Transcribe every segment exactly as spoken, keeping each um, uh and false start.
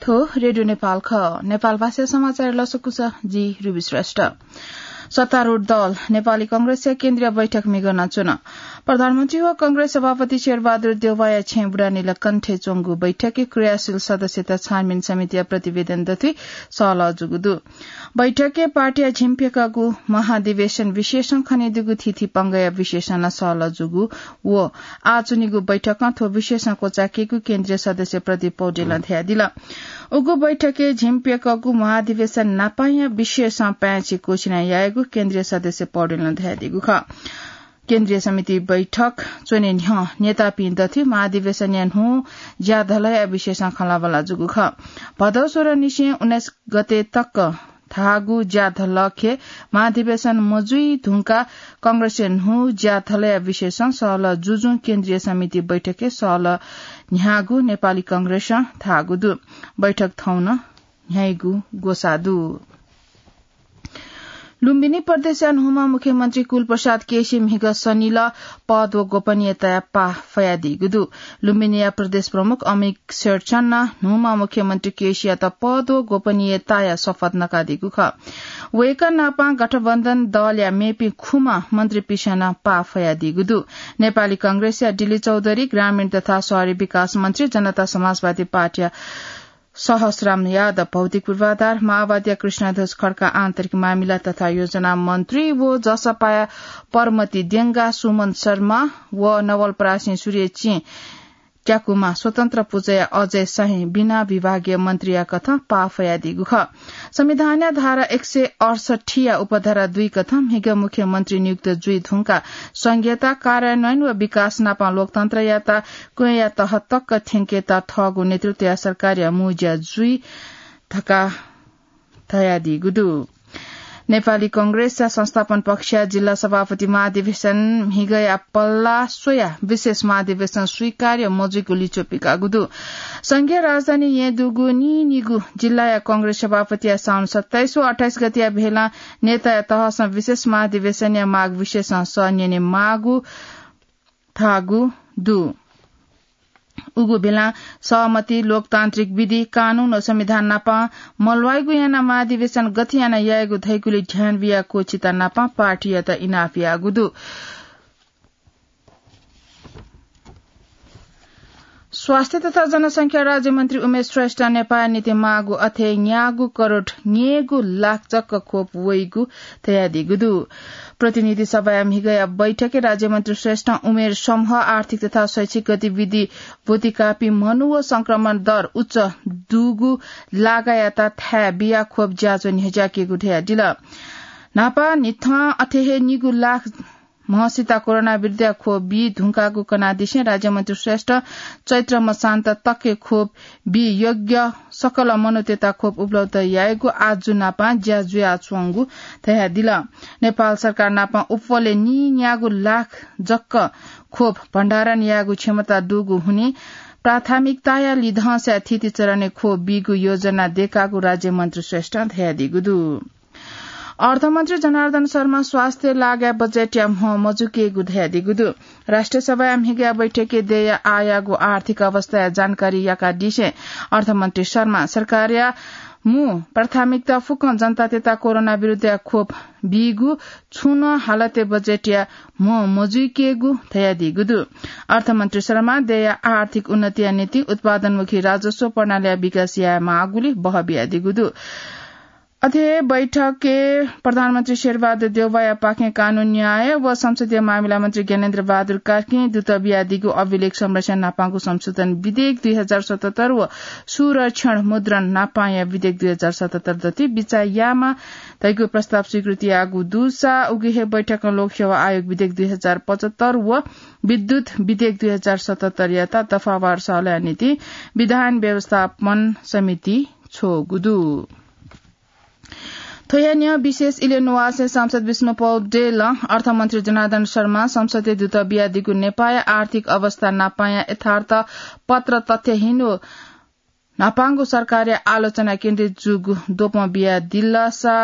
थ्व रेडियो नेपाल खः। नेपाल भाषा समाचार लसकुस, जि रुबी श्रेष्ठ। सत्तारूढ दल नेपाली कांग्रेसया केन्द्रीय बैठक म्हिगः नं च्वन। प्रधानमन्त्री व कांग्रेस सभापति शेरबहादुर देउवाया छेँय् बुढानीलकण्ठय् च्वंगु बैठकय् क्रियाशील सदस्यता छानबिन समितिया प्रतिवेदन दथुइ सहलह जूगु दु। बैठकय् पार्टीया झिंप्यकःगु महाधिवेशन विशेषं खनेदुगु थीथी पंगःया विशेषं नं सहलह जूगु व आः च्वनीगु बैठकं थ्व विशेषं क्वचायेकेगु केन्द्रीय सदस्य प्रदीप पौडेलं धयादिल। उगु बैठकय् झिंप्यकःगु महाधिवेशन नापांया विशेषं पाय्‌छि क्वःछिना यायेगु केन्द्रीय सदस्य पौडेलं धयादीगु खः। केन्द्रीय समिति बैठक च्वने न्ह्यः नेतापिं दथुइ महाधिवेशनया न्हू ज्याधलया विशेषं खँल्हाबल्हा जूगु खः। भदौ सोह्र निसें उन्नाइस गते तक धाःगु ज्याधलखे महाधिवेशन मजुइ धुंकाः कांग्रेसया न्हू ज्याधलया विशेषं सहलह जुजुं केन्द्रीय समिति बैठकय् सहलह न्ह्याःगु नेपाली कांग्रेसं धाःगु दु। बैठक थौं नं न्ह्याइगु ग्वसाः दु। लुम्बिनी प्रदेशया न्हूम्ह मुख्यमन्त्री कुलप्रसाद केसी म्हिगः सनिल पद व गोपनीयताया पाः फयादीगु दु। लुम्बिनीया प्रदेश प्रमुख अमिक शेरचननं न्हूम्ह मुख्यमन्त्री केसीयात पद व गोपनीयताया शपथ नकादीगु खः। वय्‌कः नापं गठबन्धन दलया मेपिं खुम्ह मन्त्रीपिसं नं पाः फयादीगु दु। नेपाली कांग्रेसया डिली चौधरी, ग्रामीण तथा शहरी विकास मन्त्री, जनता समाजवादी पार्टीया सहस्राम यादव भौतिक पूर्वाधार, माओवादीया कृष्णध्वज खड्का आन्तरिक मामिला तथा योजना मन्त्री व जसपाया परमति देंगा, सुमन शर्मा व नवलपरासी सूर्य चिं त्याकुमा स्वतन्त्र पुचःया अजय शाही बिना विभागीय मन्त्रीया कथं पाः फयादीगु खः। संविधानया धारा एक सय अडसठीया उपधारा दुई कथं म्हिगः मुख्यमन्त्री नियुक्त जुइ धुंकाः संघीयता कार्यान्वयन व विकास नापं लोकतन्त्रयात क्वँया तह तक थ्यंकेत थःगु नेतृत्वया सरकारया मू ज्या जुइ धकाः धयादीगु दु। नेपाली कांग्रेसया संस्थापन पक्षया जिल्ला सभापति महाधिवेशन म्हिगःया पल्ला स्वयाः विशेष महाधिवेशन स्वीकार्य मजुइगु लिच्वः पिकाःगु दु। संघीय राजधानी येँ दुगु नीनिगू जिल्लाया कांग्रेस सभापतिया साउन सत्ताइस व अट्ठाइस गतेया भेलं नेताया तहसं विशेष महाधिवेशनया माग विषयसं सः न्यने माःगु धाःगु दु। उगु भेलं सहमति, लोकतान्त्रिक विधि, कानून व संविधान नापं मल्वाइगु यानाः महाधिवेशन गथे यानाः यायेगु धइगुली ध्यान बियाः क्वःछिता नापं पार्टीयात इनाप याःगु दु। स्वास्थ्य तथा जनसंख्या राज्यमन्त्री उमेश श्रेष्ठं नेपाःया निंतिं माःगु अथे न्यागू करोड न्यय्‌गू लाख जक खोप वइगु धयादीगु दु। प्रतिनिधि सभाया म्हिगःया बैठकय् राज्यमन्त्री श्रेष्ठं उमेर समूह, आर्थिक तथा शैक्षिक गतिविधि ब्वति काःपिं मनू व संक्रमण दर उच्च दुगु लागायात थाय् बियाः खोप ज्याझ्वः न्ह्यज्याकेगु धयादिल। न्हापा न्हिथं अथे हे निगू लाख म्हसित कोरोना विरुद्धया खोप बी धुंकाःगु कनादिसें राज्यमन्त्री श्रेष्ठ चैत्र मसान्त तकय् खोप बी योग्य सकल मनूतय्‌त खोप उपलब्ध यायेगु आजु नापं ज्या जुयाच्वंगु धयादिल। नेपाल सरकार नापं उप्वलय् नीन्यागू लाख जक खोप भण्डारण यायेगु क्षमता दुगु हुनिं प्राथमिकताया लिधंसाय् थीथी चरणय् खोप बीगु योजना दयेकागु राज्यमन्त्री श्रेष्ठं धयादीगु दु। अर्थमन्त्री जनार्दन शर्मा स्वास्थ्य लागाय् बजेटया म्ह मजुकेगु धयादीगु दु। राष्ट्रिय सभाया म्हिगःया बैठकय् देय्‌या आःयागु आर्थिक अवस्थाया जानकारी याकादिसें अर्थमन्त्री शर्मा सरकारया मू प्राथमिकता फुक्कं जनतातय्‌त कोरोना विरुद्धया खोप बीगु छुं नं हालतय् बजेटया म्ह मजुइकेगु धयादीगु दु। अर्थमन्त्री शर्मा देय्‌या आर्थिक उन्नतिया निंतिं उत्पादनमुखी राजस्व प्रणालीया विकास यायेमाःगुली बह बियादीगु दु। अथे हे बैठकय् प्रधानमन्त्री शेरबहादुर देउवायापाखें कानून न्याय व संसदीय मामिला मन्त्री ज्ञानेन्द्र बहादुर कार्कीं दूत बियादीगु अभिलेख संरक्षण न्हापांगु संशोधन विधेयक दुई हजार सतहत्तर व सुरक्षण मुद्रण न्हापांया विधेयक दुई हजार सतहत्तर दथुइ बिचाः यायेमाः धइगु प्रस्ताव स्वीकृति याःगु दुसा उगु हे बैठकं लोकसेवा आयोग विधेयक दुई हजार पचहत्तर व विद्युत विधेयक दुई हजार सतहत्तरयात दफावार सहलहया निंतिं विधान व्यवस्थापन समिति छ्वःगु दु। थ्वया न्ह्यः विशेष इलय् नुवाःसय् सांसद विष्णु पौडेलं अर्थमन्त्री जनार्दन शर्मां संसदय् दूत बियादीगु नेपाःया आर्थिक अवस्था न्हापांया यथार्थ पत्र तथ्यहीन व न्हापांगु सरकारया आलोचना केन्द्रित जूगु द्वपं बियादिलसा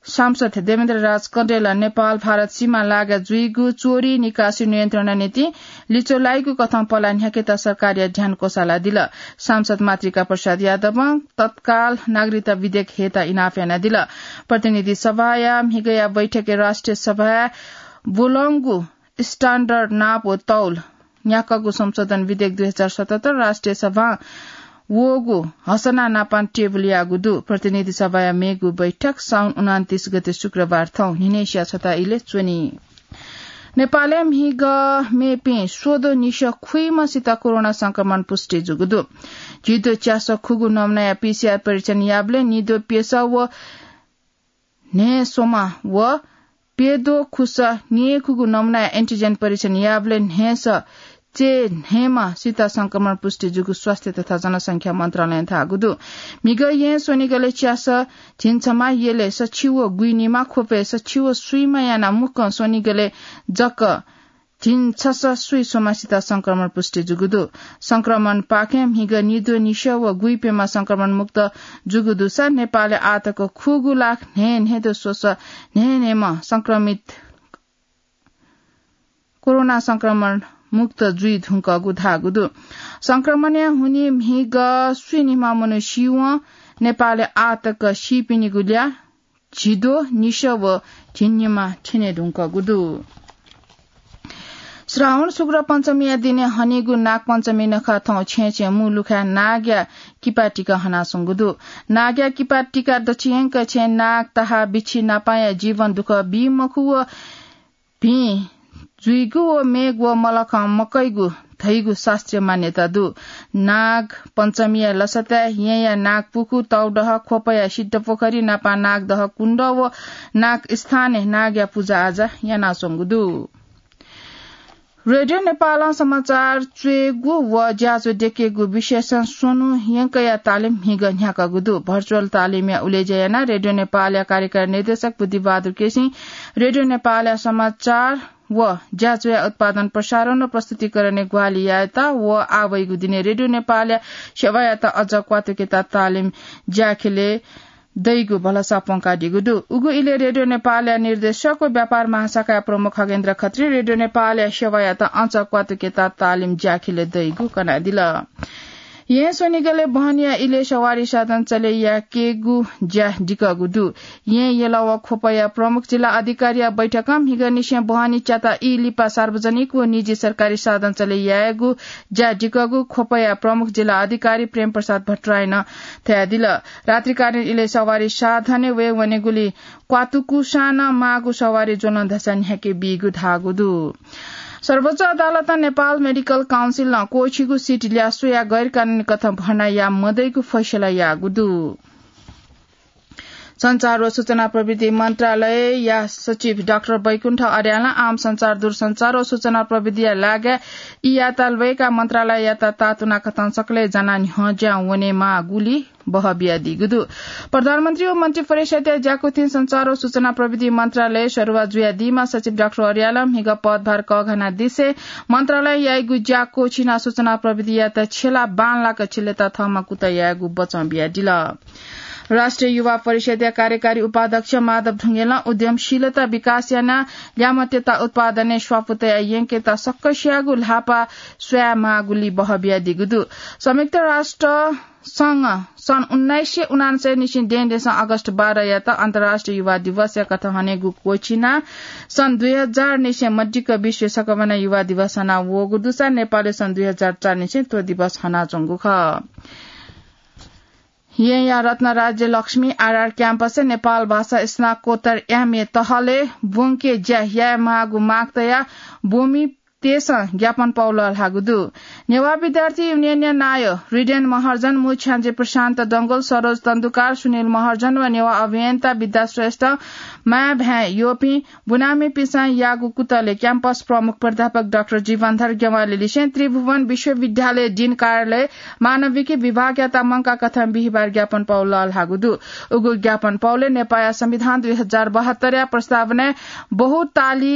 सांसद देवेन्द्र राज कँडेल नेपाल भारत सीमा लागा जुइगु चोरी निकासी नियन्त्रणया निंतिं लिच्वः लाइगु कथं पलाः न्ह्याकेत सरकारया ध्यान क्वसालादिल। सांसद मातृका प्रसाद यादवं तत्काल नागरिकता विधेयक हयेत इनाप यानादिल। प्रतिनिधि सभाया म्हिगया बैठकय् राष्ट्रिय सभाय् ब्वलंगु standard नाप व तौल न्ह्याकागु संशोधन विधेयक दुई हजार सतहत्तर राष्ट्रिय सभां वःगु हसना नापां टेबुल याःगु दु। प्रतिनिधि सभाया मेगु बैठक साउन उनान्तीस गते शुक्रबार थौं न्हिनय्सिया छता इलय् च्वनी। नेपालय् म्हिगः मेपिं स्वदँ निसः खुइम्हसित कोरोना संक्रमण पुष्टि जूगु दु। झिद्वः च्यासः खुगू नमुनाया पीसीआर परीक्षण याःबलय् निद्वः प्यसः व न्हय् स्वम्ह व प्यद्वः खुसः न्यय्खुगू नमुनाया एन्टिजेन परीक्षण याःबलय् न्हय्सः चय्न्हय्म्हसित संक्रमण पुष्टि जूगु स्वास्थ्य तथा जनसंख्या मन्त्रालयं धाःगु दु। म्हिगः येँ स्वनिगलय् च्यासः झिंछम्ह, यलय् सछि व गुइनिम्ह, ख्वपय् सछि व स्वीम्ह यानाः मुक्कं स्वनिगलय् जक झिंछसः स्वीस्वम्हसित संक्रमण पुष्टि जूगु दु। संक्रमणपाखें म्हिगः निद्वः निसः व गुइप्यम्ह संक्रमण मुक्त जूगु दुसा नेपालय् आःतक खुगू लाख न्हय्न्हय्द्वः स्वसः न्हय्न्हय्म्ह संक्रमित कोरोना संक्रमण मुक्त जुइधुंकूगु धाःगु दु। संक्रमणया हुनिं म्हिगः स्वीनिम्ह मनू सीवं नेपालय् आःतक सीपिनिगु ल्याः झिद्वः निसः व झिंनिम्ह थ्यनेधुंकूगु दु। श्रावण शुक्ल पञ्चमीया दिने हनीगु नागपञ्चमी नखः थौं छेँय् छेँय् मू लुखाय् नागया किपा तिका हनाच्वंगु दु। नागया किपा तिका दछियंक छेँय् नाग, ताहा, बिच्छी नापांया जीवन दुःख बी मखु व भिं जुइगु व मेघ व मलखं मकइगु धइगु शास्त्रीय मान्यता दु। नाग पञ्चमीया लसताय् येँया नागपुखू, तौदह, ख्वपया सिद्धपोखरी नापं नागदह कुण्ड व नागस्थानय् नागया पुजाआजा यानाच्वंगु दु। रेडियो नेपालं समाचार च्वयेगु व ज्याझ्वः द्यकेगु विषयसं स्वन्हु यंकया तालिम म्हिगः न्ह्याकागु दु। भर्चुअल तालिमया उलेज्या यानाः रेडियो नेपालया कार्यकारी निर्देशक बुद्धिबहादुर केसीं रेडियो नेपालया समाचार व ज्याझ्वःया उत्पादन, प्रसारण व प्रस्तुतिकरणय् ग्वाहालि यायेत व आः वइगु दिने रेडियो नेपालया सेवायात अझ क्वातुकेत तालिम ज्याखिलय् दइगु भलसा प्वंकादीगु दु। उगु इलय् रेडियो नेपालया निर्देशक व व्यापार महाशाखाया प्रमुख खगेन्द्र खत्रीं रेडियो नेपालया सेवायात अझ क्वातुकेत तालिम ज्याखिलय् दइगु कनादिल। येँ स्वनिगलय् बहनीया इलय् सवारी साधन चले याकेगु ज्या दिकःगु दु। येँ, यल व ख्वपया प्रमुख जिल्ला अधिकारीया बैठकं म्हिगःनिसें बहनी च्याता ई लिपा सार्वजनिक व निजी सरकारी साधन चले यायेगु ज्या दिकःगु ख्वपया प्रमुख जिल्ला अधिकारी प्रेम प्रसाद भट्टराईं धयादिल। रात्रिकालीन इलय् सवारी साधनय् वये वनेगुली क्वातुकुसां नं माःगु सवारी ज्वलं धसा न्ह्याके बीगु धाःगु दु। सर्वोच्च अदालतं नेपाल मेडिकल काउन्सिलं क्वःछिगु सिट ल्याः स्वयाः गैरकानूनी कथं भर्ना याये मदइगु फैसला याःगु दु। सञ्चार व सूचना प्रविधि मन्त्रालयया सचिव डाक्टर बैकुण्ठ अर्यालं आम सञ्चार, दूरसञ्चार व सूचना प्रविधिया लागाय् ई यायेत ल्वय्काः मन्त्रालययात तातुना कथं सकलें जानाः न्ह्यज्यां वनेमाःगुली बहः बियादीगु दु। प्रधानमन्त्री व मन्त्रिपरिषदया ज्याकुथिं सञ्चार व सूचना प्रविधि मन्त्रालयय् सरुवा जुयादीम्ह सचिव डाक्टर अर्यालं म्हिगः पदभार कःघानादिसें मन्त्रालयं याइगु ज्या क्वःछिनाः सूचना प्रविधियात छ्यलाः बांलाक छ्यलेत थःम्हं कुतः यायेगु बचं बियादिल। राष्ट्रिय युवा परिषदया कार्यकारी उपाध्यक्ष माधव ढुङेलं उद्यमशीलता विकास यानाः ल्याय्म्हतय्त उत्पादनय् स्वापू तयाः यंकेत सकसियागु ल्हापा स्वयामाःगुली बहः बियादीगु दु। संयुक्त राष्ट्र संघ सन् उन्नाइस सय उनान्सय निसें देंदेसं अगस्त बाह्रयात अन्तर्राष्ट्रिय युवा दिवसया कथं हनेगु क्वःछिनाः सन् दुई हजार निसें मदिक्क विश्वय् सकभनं युवा दिवस हना वःगु दुसा नेपालय् सन् दुई हजार चार निसें थ्व दिवस हनाच्वंगु खः। येँया रत्नराज्य लक्ष्मी आरआर क्याम्पसय् नेपाल भाषा स्नाकोत्तर एमए तहलय् ब्वंके ज्या यायेमाःगु माग तयाः ब्वमि तय्सं ज्ञापन पाउलाः ल्हाःगु दु। नेवाः विद्यार्थी युनियनया नायः रिडेन महर्जन, मू छ्याञ्जे प्रशान्त डंगोल, सरोज तन्दुकार, सुनिल महर्जन व नेवाः अभियन्ता विद्या श्रेष्ठ, माया भाय् यःपिं बुनामिपिन्सं याःगु कुतलय् क्याम्पस प्रमुख प्राध्यापक डाक्टर जीवनधर ज्ञवालीलिसें त्रिभुवन विश्वविद्यालय डिन कार्यालय मानविकी विभागयात मंकाः कथं बिहिबार ज्ञापन पाउलाः ल्हाःगु दु। उगु ज्ञापन पाउलय् नेपाःया संविधान दुई हजार बहत्तरया प्रस्तावनाय् बहुताली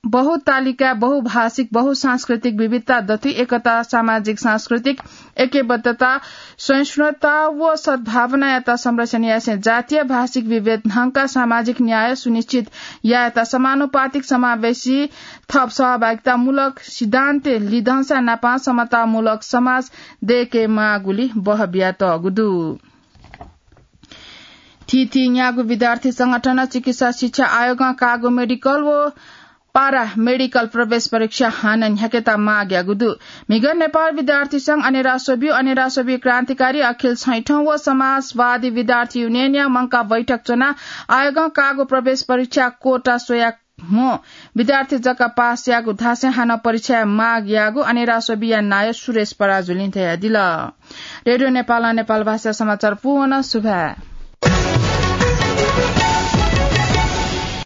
बहुतालिका, बहुभाषिक, बहुसांस्कृतिक विविधता दथुइ एकता, सामाजिक सांस्कृतिक ऐक्यबद्धता, सहिष्णुता व सद्भावनायात संरक्षण यासें जातीय भाषिक विभेद न्हंका सामाजिक न्याय सुनिश्चित यायेत समानुपातिक समावेशी थप सहभागितामूलक सिद्धान्त लिधंसा नापं समतामूलक समाज दयेके माःगुली बह बियातःगु दु। थीथी न्यागू विद्यार्थी संगठन चिकित्सा शिक्षा आयोगं काःगु मेडिकल व पारा मेडिकल प्रवेश परीक्षा हानं न्ह्याकेत माग याःगु दु। म्हिगः नेपाल विद्यार्थी संघ अनेरास्वबी, अनेरास्वबी क्रान्तिकारी अखिल छैठौं व समाजवादी विद्यार्थी युनियनया मंकाः बैठक च्वनाः आयोगं काःगु प्रवेश परीक्षा कोटा स्वया म्हो विद्यार्थी जक पास याःगु धासें हानं परीक्षा माग याःगु अनेरास्वबीया नायः सुरेश पराजुलिं धयादिल। रेडियो नेपालं नेपाल भाषा समाचार पूवन सुभाय्।